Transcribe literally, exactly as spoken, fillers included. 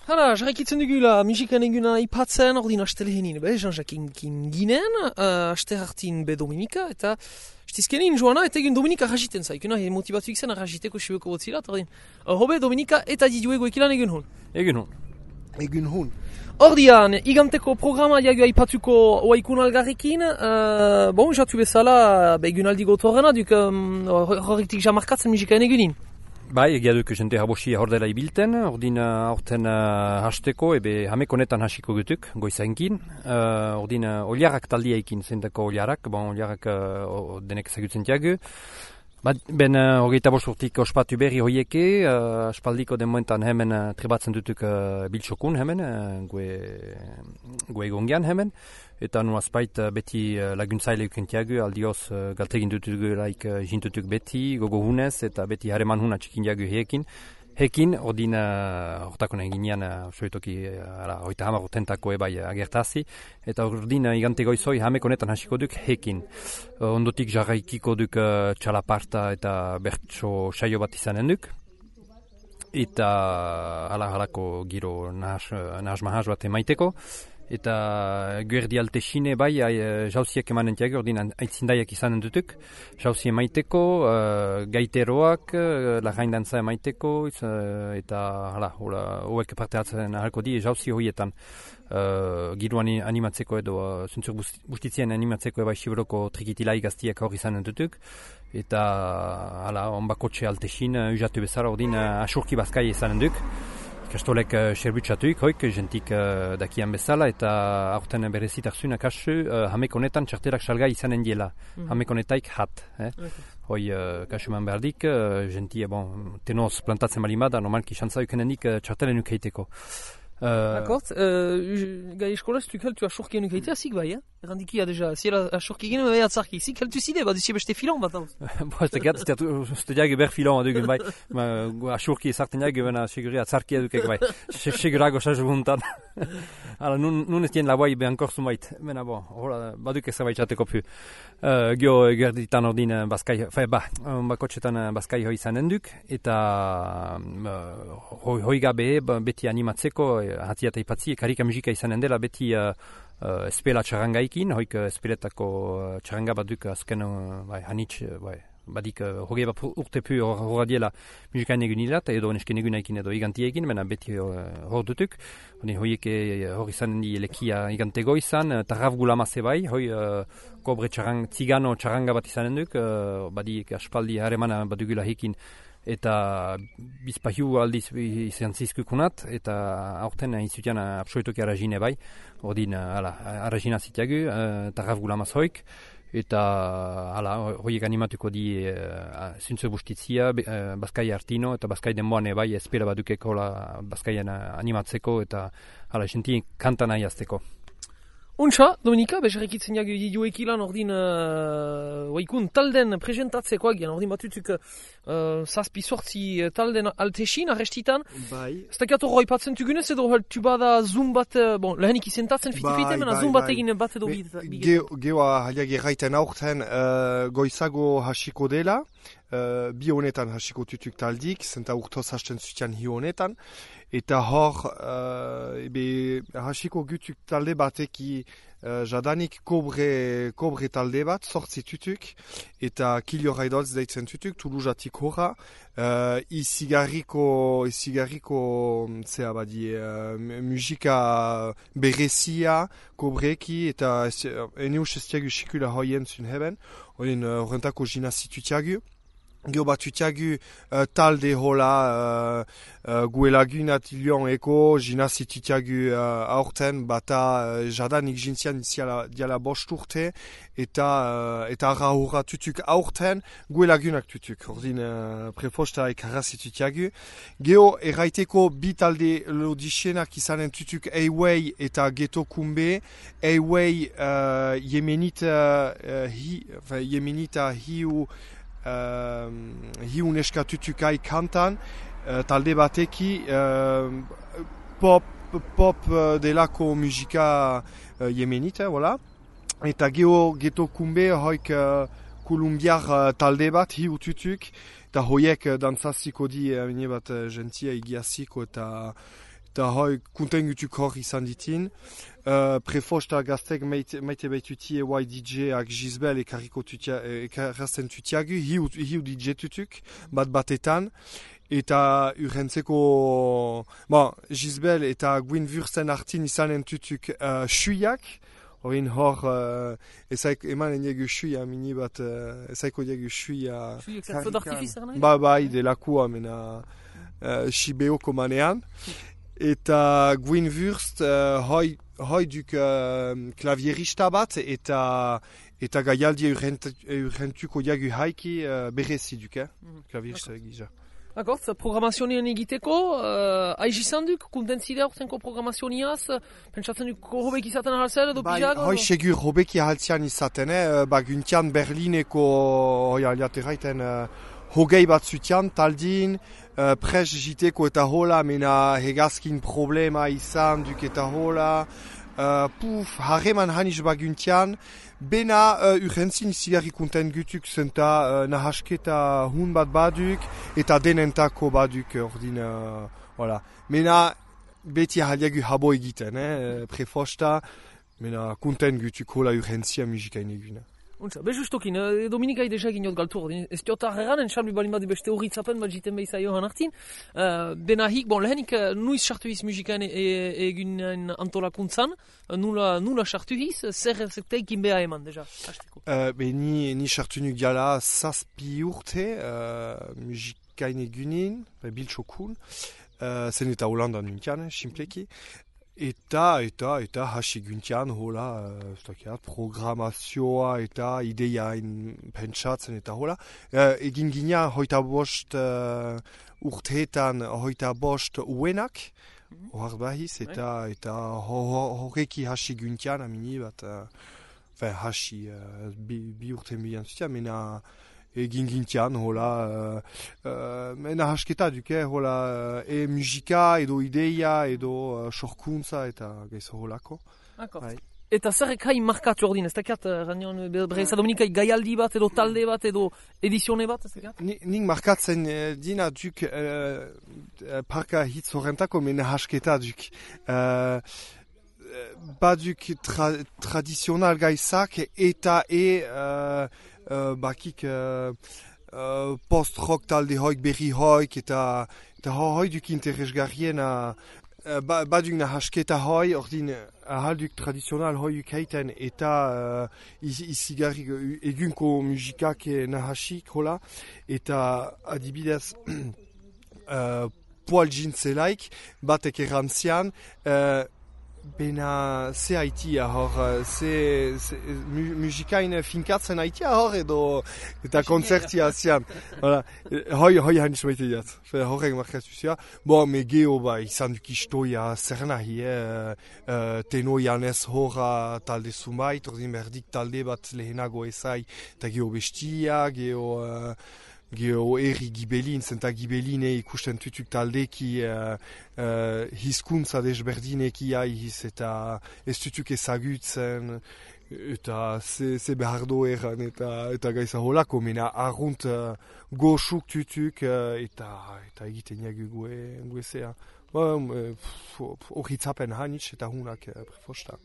Hala, jarraikitzen dugula, musikan eguna ipatzen, ordin astelehenin, be, Jean-Jacques ginen, uh, aste hartin be Dominika, eta stizkenin joana, eta egun Dominika rajiten za, ikuna motivatu ikzen rajiteko sibeko botzila, eta ordin, uh, hobe Dominika eta diduego ekilan egun hon. Egun hon. Egun hon. Ordian, iganteko programa diagua ipatuko oaikun algarrekin, uh, bon, jatu bezala, be egun aldi gotorrena, duk um, horrektik jamarkatzen musikan egunin. Bai, egia duk jente habosi hordela ibilten, ordin aurten uh, hasteko, ebe hameko netan hasiko gutuk, goizainkin. Uh, ordin uh, oliarak taldiaikin zentako oliarak, bon, oliarak uh, denek ezagutzen tiagu. Ben uh, hogeita bosurtik ospatu berri hoieke, uh, aspaldiko den momentan hemen uh, trebatzen dutuk uh, biltxokun hemen, uh, gue, gue egongian hemen. Eta nu azpait uh, beti uh, laguntzaile ukentiagu, aldioz uh, galtegin dutugu laik uh, jintutuk beti, gogo hunez, eta beti hareman huna txikin diagu hekin. Hekin, ordin hortako uh, nahi ginean, uh, soitoki, uh, oita hamar urtentako ebai uh, agertazi, eta ordin uh, igante goizoi hameko netan hasiko duk hekin. Uh, ondotik jarraikiko duk uh, txalaparta eta bertso saio bat izanen duk. Eta hala halako giro nahas, nahas mahas bat emaiteko. Eta guerdi alte xine bai uh, jauziak emanen tiago, ordin aitzindaiak izanen dutuk. Jauzi emaiteko, uh, gaiteroak, uh, lagaindantza emaiteko, uh, eta hala, hoek parte hartzen ahalko di, jauzi hoietan uh, giroan animatzeko edo, uh, zuntzur bustitzien animatzeko eba xibroko trikitilai gaztiak hor izanen dutuk. Eta hala, onbakotxe alte xin, uh, ujatu bezala, ordin uh, asurki bazkai izanen duk. Ikastolek uh, xerbutsatuik, hoik, jentik uh, dakian bezala, eta aurten berezit arzunak asu, uh, hameko honetan txarterak salgai izanen diela. Mm-hmm. Hameko honetaik hat. Eh? Okay. Hoi, uh, kasuman berdik, uh, jenti, bon, tenoz plantatzen balin bada, normalki xantza ukenenik uh, txartelen ukeiteko. Uh, D'accord. Uh, gai eskola, tu kaltu asurkien ukeitea, zik bai, eh? Errandikia deja, ziela asurkien bai atzarki. Zik kaltu zide, bat duzie beste filon bat hau. Bo, ez tegat, ez te diag ber filon adugun bai. Asurki ezarten diag, bena seguri atzarki adukek bai. Segurago sazu guntan. Hala, nun, nun ez dien laboai behankor zumait. Bena, bo, hola, baduk ez zabait txateko pu. Uh, Gio, gerditan ordin baskai, fe, ba, bakotxetan baskai hoi zanen duk, eta uh, hoi, hoi gabe beti animatzeko, hati eta ipatzi, karika musika izanen dela beti uh, uh, espela txarangaikin, hoik uh, espeletako uh, txaranga baduk azken uh, bai, hanitz, uh, bai, badik uh, hogei bat urte pu horra diela musikain egun hilat, edo nesken egun aikin edo igantiekin, mena beti uh, hor dutuk. Hoiek hor izanen di elekia igantego izan, uh, tarraf gulamase bai, hoi uh, kobre txarang, tzigano txaranga bat izanen duk, uh, badik aspaldi haremana badugula hekin, eta bizpahiu aldiz izan zizkukunat, eta aurten izutian absolutoki arrazine bai, ordin arrazina zitiagu, uh, tarraf gulamaz hoik, eta hala, horiek animatuko di uh, zuntzu bustitzia, uh, Baskai Artino, eta Baskai denboan bai espera badukeko Baskaian animatzeko, eta hala, esenti kanta nahi azteko. Untxa, Dominika, bezarrekitzen jagu diduek ilan ordin uh, waikun talden presentatzeko agian, ordin batutuk uh, zazpi sortzi talden altexin arrestitan. Bai. Ez dakiat horro ipatzen tugunez edo tu bada zoom bat, bon, lehenik izentatzen fitipite, bai, mena bai, zoom bat egin bat edo bide. Geoa haliak erraiten aurten uh, goizago hasiko dela, uh, bi honetan hasiko tutuk taldik, zenta urtoz hasten zutian hi honetan. Eta hor, uh, ebe, hasiko gutuk talde bateki uh, jadanik kobre, kobre talde bat, sortzi tutuk, eta Kilio Raidolz deitzen tutuk, Toulousatik horra, uh, izigarriko, izigarriko, zera badi, uh, musika berezia, kobreki, eta eneus ez tiagu sikula hoien zun heben, horrentako uh, jina situtiagu. Gio batutiagu uh, talde hola uh, uh, guelagun atilion eko, jina zitutiagu uh, aurten bata uh, jadanik jintzian diala bost urte, eta uh, eta arra hurra tutuk aurten guelagunak tutuk. Ordin uh, prefosta ekarra zitutiagu. Geo erraiteko bi talde lodixenak izanen tutuk Eiwei eta Geto Kumbe. Eiwei uh, yemenita uh, hi, enfin, yemenita hiu Uh, hiun eskatutukai kantan, uh, talde bateki uh, pop, pop uh, delako musika uh, yemenita, voilà. Eta geho Geto Kumbe hoik uh, kolumbiar uh, talde bat hiu tutuk, eta hoiek uh, dantzaziko di uh, bat uh, gentia igiaziko eta eta hoi kunten gutuk hor izan ditin. Uh, prefosta gaztek maite, maite baituti E Y D J-ak Gisbel ekarriko tutia, ekarrazen tutiagu, hiu, hiu D J tutuk, bat batetan. Eta urrentzeko, bon, Gisbel eta Gwyn Wursten artin izanen tutuk uh, suiak, Horin hor, uh, ezaik eman eniegu suia mini bat, uh, ezaiko diegu suia... Suiak zer feu d'artifice nahi? Ba, bai, delakua mena uh, Shibeoko manean. Eta Gwyn Wurst, uh, hoi, hoi duk uh, klavierista bat, eta eta gaialdi urrentuko diegu haiki uh, berezi duk, eh? Mm-hmm. Klavierista egizia. D'accord, programazionean egiteko, uh, aiz izan duk, kuntentzidea urtenko programazioniaz, pentsatzen duk hobek izaten ahalzer edo pijak? Hoi segur hobek ahaltzean izaten, eh? Ba, guntian Berlineko, hoi aliateraiten, uh, hogei bat zutian, taldin, uh, pres jiteko eta hola, mena hegazkin problema izan duk eta hola, uh, puf, harreman haniz baguntian, bena uh, urrentzin zigarri kunten gutuk zenta uh, nahasketa hun bat baduk eta denentako baduk ordin, uh, voilà. Mena beti ahaliagu habo egiten, eh, prefosta, mena kunten gutuk hola urrentzia musikain eguna. Untsa, bezustokin, e, Dominikai deja egin jot galtu ordin. Ez diotar erran, entxalmi balin bat beste horritzapen bat jiten behizai johan hartin. Uh, Benahik, bon, lehenik, uh, nuiz sartu hiz musikaen egunen antolakuntzan, uh, nula, nula sartu hiz, zer teikin beha eman deja, hasteko. Uh, be, ni, ni sartu nuk diala zazpi urte uh, musikaen egunin, biltxokun, uh, zen eta Holandan nuntian, simpleki. Eta, eta, eta hasi guntian, hola, uh, programazioa eta ideiain pentsatzen eta hola. Uh, egin gina hoita bost uh, urteetan hoita bost uenak, mm-hmm. Ohar bahiz, eta, eta horreki hasi guntian, amini bat, uh, fe, hasi uh, bi, bi urte milian zutia, mena egin gintian, hola, uh, uh, mena hasketa duke, hola, uh, e musika, edo ideia, edo uh, sorkuntza, eta gaizo holako. Bai. Eta zerrek hain markatu ordin, ez dakat, ranion, bereza Dominikai gaialdi bat, edo talde bat, edo edizione bat, ez dakat? Nik markatzen uh, dina duk uh, parka hitz horrentako, mena hasketa duk. Uh, baduk tra tradizional gaizak, eta e... Uh, Uh, bakik uh, uh, post-rock talde hoik, berri hoik, eta, eta hoi duk interesgarrien uh, ba, baduk nahasketa hoi, ordin ahalduk tradizional hoi ukaiten, eta uh, izigarri egunko musikak nahasik, hola, eta adibidez uh, poal jintzelaik, batek errantzian, uh, bena ze haitia hor, ze, ze mu, musikain finkatzen haitia hor edo eta konzertia zian. Voilà. Hoi, hoi hain izmaite diat. Horrek markatu zia. Bo, me geho ba, izan duk istoia zer nahi, eh? Uh, teno janez horra talde sumait, ordin berdik talde bat lehenago ezai, eta geho bestia, geho... Uh, Geho erri gibelin, zenta gibeline ikusten tutuk taldeki uh, uh, hizkuntza desberdineki aiz eta ez tutuk ezagutzen eta ze, ze behardo erran eta, eta gaiza holako, mena arrunt uh, goxuk tutuk uh, eta, eta egiten jagu gue, gue zea. Horritzapen hanitz eta hunak uh, prefosta.